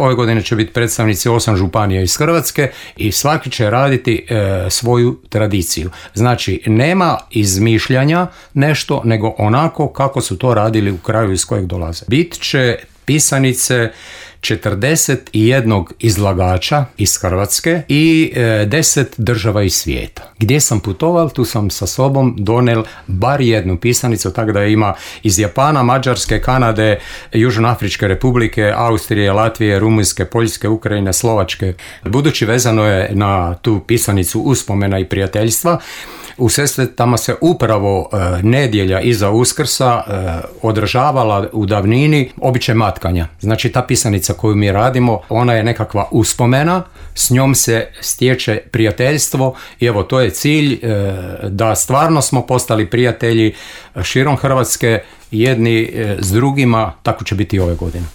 Ove godine će biti predstavnici 8 županija iz Hrvatske i svaki će raditi svoju tradiciju. Znači, nema izmišljanja nešto, nego onako kako su to radili u kraju iz kojeg dolaze. Bit će pisanice 41 izlagača iz Hrvatske i 10 država iz svijeta. Gdje sam putoval, tu sam sa sobom donel bar jednu pisanicu, tako da ima iz Japana, Mađarske, Kanade, Južnoafričke republike, Austrije, Latvije, Rumunjske, Poljske, Ukrajine, Slovačke. Budući vezano je na tu pisanicu uspomena i prijateljstva, u Sesvetama se upravo nedjelja iza Uskrsa održavala u davnini običaj matkanja. Znači, ta pisanica koju mi radimo, ona je nekakva uspomena, s njom se stječe prijateljstvo i evo, to je cilj da stvarno smo postali prijatelji širom Hrvatske jedni s drugima, tako će biti i ove godine.